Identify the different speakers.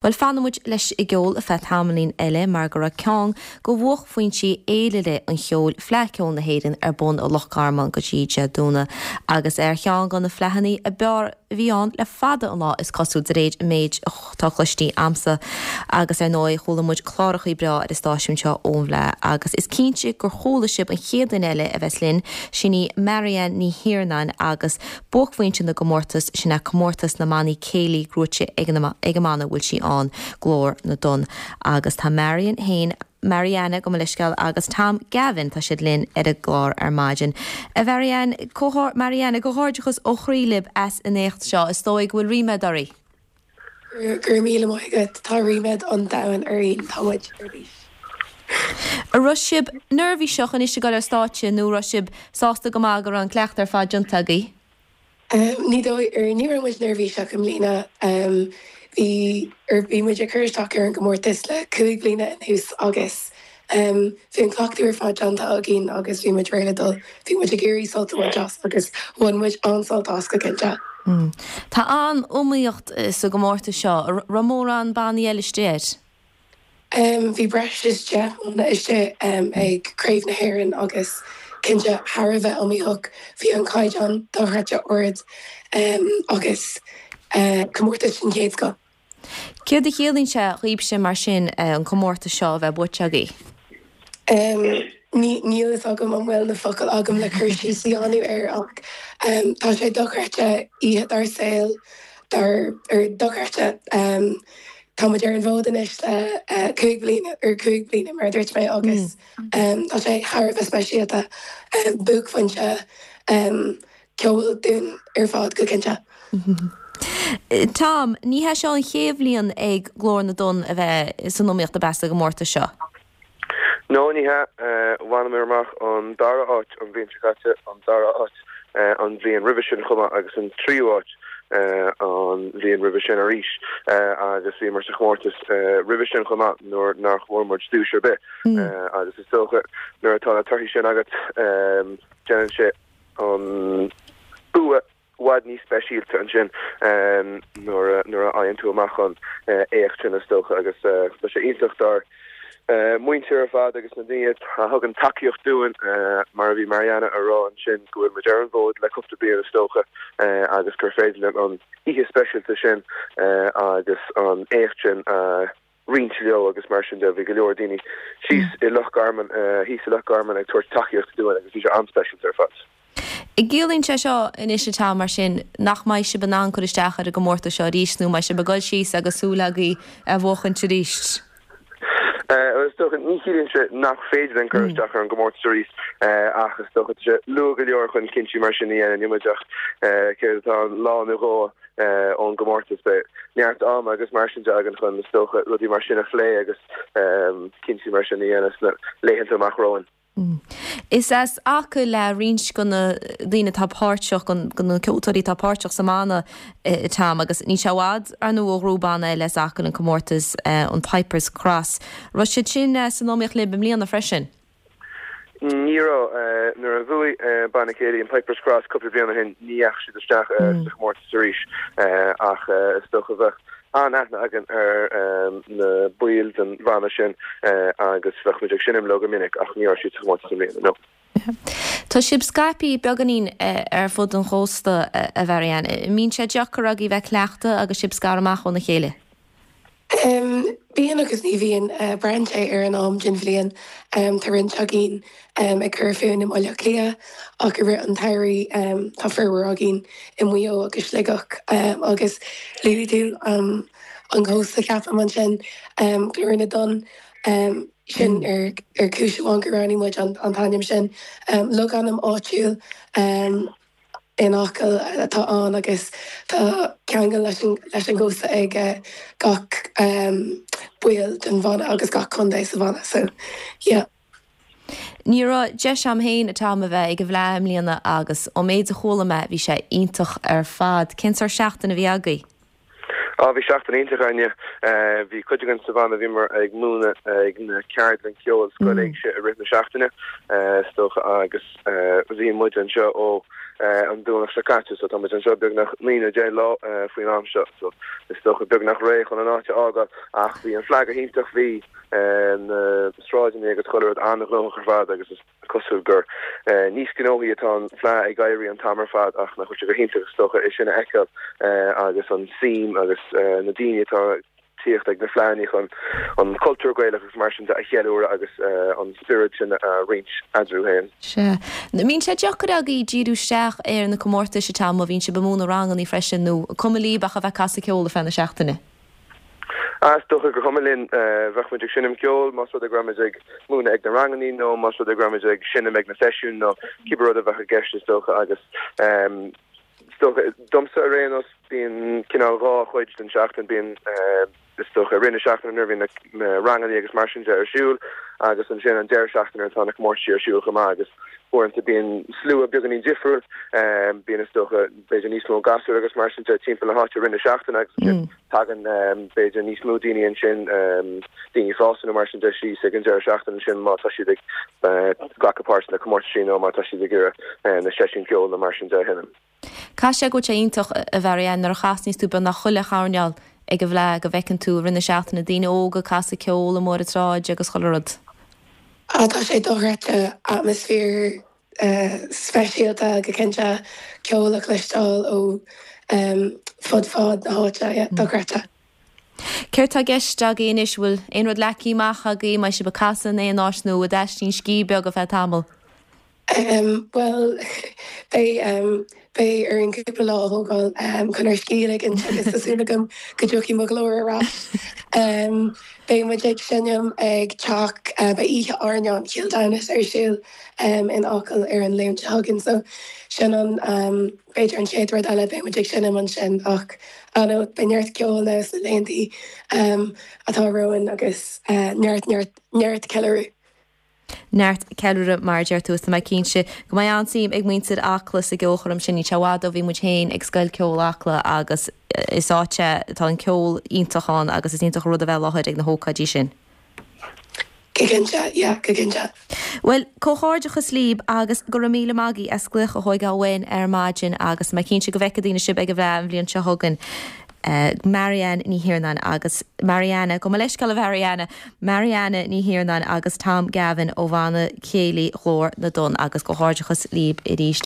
Speaker 1: Bhuel, fanfaidh muid leis an gceol ar feadh tamaillín eile mar go raibh ceann de bhuaicphointí fhéilire an cheoil, Fleadh Cheoil na hÉireann, ar bun i Loch Garman go dtí Dé Domhnaigh agus ar cheann de na fleadhanna ab fhearr a bhí ann le fada an lá, is cosúil, de réir an méid atá cloistí a'msa. Agus ar ndóigh, chuala muid clárachaí breá ar an stáisiún seo ón bhFleadh agus is cinnte gur chuala sibh an chéad duine eile a bheas linn, sin í Marianne Ní Thiarnáin agus Buaicphointe na gcomórtas, sin é comórtas na mbannaí céilí gnóite ag an ag an mbanna a bhfuil sí ann, Glór na dTonn. Agus tá Marian féin, Marianne, gabh mo leithscéal, agus Tom Gavin, tá siad linn ar an gclár ar maidin. A Mharianne, Marianne, comhghairdeachas ó chroí libh as an éacht seo. Is dóigh go bhfuil ríméad oraibh.
Speaker 2: Go raibh míle maith agat. Tá ríméad an domhain orainn. Tá muid ar bís.
Speaker 1: An raibh sibh neirbhíseach anois ag dul ar stáitse nó raibh sibh sásta go maith go raibh an cleachtadh ar fad déanta agaibh?
Speaker 2: Ní dóigh, ar, ní raibh muid neirbhíseach i mbliana. Bhí, ar, bhí muid ag cur isteach ar an gcomórtas le 5 bliana anuas agus Bhí an cleachtadh ar fad déanta againn agus bhí muid réidh le dul. Bhí muid ag iarraidh sult a bhaint as agus bhain muid an-sult as go cinnte.
Speaker 1: Tá an-iomaíocht sa gcomórtas seo. An raibh mórán bannaí eile istigh air?
Speaker 2: Bhí breis is 10 mbanna istigh ag Craobh na hÉireann agus cinnte thar a bheith iomaíoch. Bhí an caighdeán dochreidte ard agus comórtas den chéad scoth.
Speaker 1: Céard a chiallaíonn sé dhaoibhse mar sin an comórtas seo a bheith buaite agaibh?
Speaker 2: Níl fhios agam an bhfuil na focail agam le cur síos a dhéanamh air ach tá sé dochreidte, oíche dár saol, dár, ar, dochreidte. Tá muid ar an bhfód anois le 5 bliana, ar 5 bliana mar a dúirt mé agus tá sé thar a bheith speisialta, buaicphointe. ceoil dúinn ar fad, go cinnte.
Speaker 1: Tom, ní hé seo an chéad bhliain ag Glór na dTonn a bheith san iomaíocht ab ea sa gcomórtas seo?
Speaker 3: No, ní hea. Bhaineamar amach an dara háit an bhliain seo caite, an dara háit an bhliain roimhe sin chomh maith agus an tríú háit an bhliain roimhe sin arís agus bhíomar sa chomórtas roimhe sin chomh maith nuair nár bhfuair muid duais ar bith agus is dócha nuair atá na torthaí sin agat déanann sé an bua i bhfad níos speisialta ansin nuair a fhaigheann tú amach an éacht sin is dócha agus tá sé iontach dár muintir ar fad agus na daoine a thugann tacaíocht dúinn mar a bhí Marianna a rá ansin go bhfuil muid ar an bhfód le cúpla bliain is dócha agus gur féidir linn an oíche speisialta sin agus an éacht sin a roinnt leo agus mar sin de. Bhí go leor daoine síos i Loch Garman, thíos i Loch Garman ag tabhairt tacaíochta dúinn agus bhí sé an-speisialta ar fad.
Speaker 1: An gciallaíonn sé seo anois a Tom mar sin nach mbeidh sibh in ann cur isteach ar an gcomórtas seo arís nó an mbeidh sibh ag dul síos agus súil agaibh é a bhuachaint arís?
Speaker 3: Bhuel is dócha, ní chiallaíonn sé nach féidir linn cur isteach ar an gcomórtas arís ach is dócha tá sé luath go leor chun cinntí mar sin a dhéanamh. Níl muid ach céard atá ann, lá nó dhó ón gcomórtas. Beidh neart ama agus mar sin de againn chun, is dócha, rudaí mar sin a phlé agus cinntí mar sin a dhéanamh sna laethanta amach romhainn.
Speaker 1: Is as Acaill le roinnt de na daoine atá páirteach, de na ceoltóirí atá páirteach sa mbanna, Tom, agus níl sé i bhfad, ar ndóigh, ó ghnóthaigh banna eile as Acaill an comórtas, an Pipers Cross. Raibh siad sin san iomaíocht libh i mbliana freisin?
Speaker 3: Ní raibh. Nuair a bhuaigh banna céilí an Pipers Cross cúpla bliain ó shin, ní dheachaigh siad isteach sa chomórtas arís ach is dócha bheadh an-aithne againn ar na baill den bhanna sin agus bheadh muid ag seinm leo go minic ach ní raibh siad sa chomórtas i mbliana, no.
Speaker 1: Tá sibh scaipthe beagáinín ar fud an chósta, a Mharianne. An mbíonn sé deacair agaibh bheith ag cleachtadh agus sibh scartha amach óna chéile?
Speaker 2: Bíonn agus ní bhíonn. Braitheann sé ar an am den bhliain. Tá roinnt againn ag cur fúinn i mBaile Átha Cliath ach i rith an tsamhraidh tá formhór againn i Maigh Eo agus Sligeach agus luaigh tú an cósta ceapaim ansin, Glór na dTonn, sin ar chúis amháin gur roghnaigh muid an t-ainm sin. Logainm áitiúil. in Acaill atá ann agus tá ceangal leis an gcósta ag gach baill den bhanna agus gach contae sa bhanna so yeah.
Speaker 1: Ní raibh deis a'm féin a Tom a bheith ag an bhFleadh i mbliana agus ón méid a chuala mé bhí sé iontach ar fad. Cén sórt seachtain a bhí agaibh?
Speaker 3: Á, bhí seachtain iontach againne. Bhí cuid againn sa bhanna, bhíomar ag múineadh ag na ceardlann ceoil Scoil Éigse i rith na seachtaine, is dócha, agus bhí muid anseo ó. an Domhnach seo caite so tá muid anseo beagnach 9 nó 10 lá faoin am seo so is dócha beagnach réidh chun an áit a fhágáil ach bhí an Fleadh go hiontach bhí na sráideanna agus chuile rud an-ghnóthach ar fad agus is cosúil gur níos gnóthaí atá an Fleadh ag éirí an t-am ar fad ach nach bhfuil sé go hiontach is dócha é sin a fheiceáil agus an suim agus na daoine atá ag tíocht ag na fleadhanna chun an cultúr Gaelach agus mar sin de a cheiliúradh agus an spiorad sin a roinnt eadarthu féin.
Speaker 1: Sea. Mbíonn sé deacair agaibh díriú isteach ar na comórtais an t-am a bhíonn sibh ag múineadh rangannaí freisin nó cuma líb ach a bheith ag casadh ceoil ar feadh na seachtaine?
Speaker 3: Ah, is dócha gur chuma linn. Bheadh muid ag seinm ceoil más rud é go raibh muid ag múineadh ag na rangannaí nó más rud é go raibh muid ag seinm ag na seisiúin nó cibé rud a bheadh i gceist is dócha agus is dócha, domsa ar aon nós, bíonn cineál dhá chuid den seachtain, bíonn is dócha i rith na seachtaine nuair a bhíonn na rangannaí agus mar sin de ar siúl agus ansin an deireadh seachtaine nuair atá na comórtaisí ar siúl chomh maith agus uaireanta bíonn slua beagáinín difriúil, bíonn is dócha b'fhéidir níos mó gasúir agus mar sin de timpeall na háite i rith na seachtaine agus ansin tagann b'fhéidir níos mó daoine ansin, daoine fásta nó mar sin de síos ag an deireadh seachtaine ansin má tá siad ag glacadh páirt sna comórtaisí nó má tá siad ag iarraidh na seisiúin ceoil nó mar sin de a sheinm.
Speaker 1: Caithfidh sé go bhfuil sé iontach, a Mharianne, nuair a chasnaíos tú beagnach chuile choirneál ag an bhFleadh go bhfeiceann tú i rith na seachtaine daoine óga ag casadh ceoil amuigh ar an tsráid agus chuile rud.
Speaker 2: Ah tá sé dochreidte, atmaisféar speisialta go cinnte, ceol a chloisteáil ó fud fad na háite, yeah, dochreidte.
Speaker 1: Céard tá i gceist agaibh anois? Bhfuil aon rud leagtha amach agaibh? Mbeidh sibh ag casadh in aon áit nó ag taistín scíth beag ar feadh tamaill?
Speaker 2: Bhuel, beidh, beidh orainn cúpla lá a thógáil chun ár scíth a ligint agus tá súil agam go dtiocfaidh mo ghlór ar ais. Beidh muid ag seinm ag teach, beidh oíche airneáin Chill Damhnais ar siúl in Acaill ar an Luan seo chugainn so sin an, b'fhéidir an chéad rud eile, beidh muid ag seinm ansin ach I know beidh neart ceoil now sna laethanta atá romhainn agus neart, neart, neart ceiliúradh.
Speaker 1: Neart ceiliúradh mar a deir tú is tá mé cinnte go mbeidh an-suim ag muintir Acla sa gceolchoirm sin. Níl sé i bhfad ó bhí muid féin ag Scoil Ceoil Acla agus is áit é, tá an ceol iontach ann agus is iontach an rud a bheith i láthair ag na hócáidí sin.
Speaker 2: Go cinnte, yeah, go cinnte.
Speaker 1: Bhuel, comhghairdeachas líb agus go raibh míle maith agaibh as glaoch a thóigeáil uainn ar maidin agus tá mé cinnte go bhfeicfidh daoine sibh ag an bhFleadh an bhliain seo chugainn. Marianne Ní Thiarnáin agus Marianna, gabh mo leithscéal a Mharianna, Marianna Ní Thiarnáin agus Tom Gavin ó Bhanna Céilí Ghlór na dTonn agus comhghairdeachas líb arís.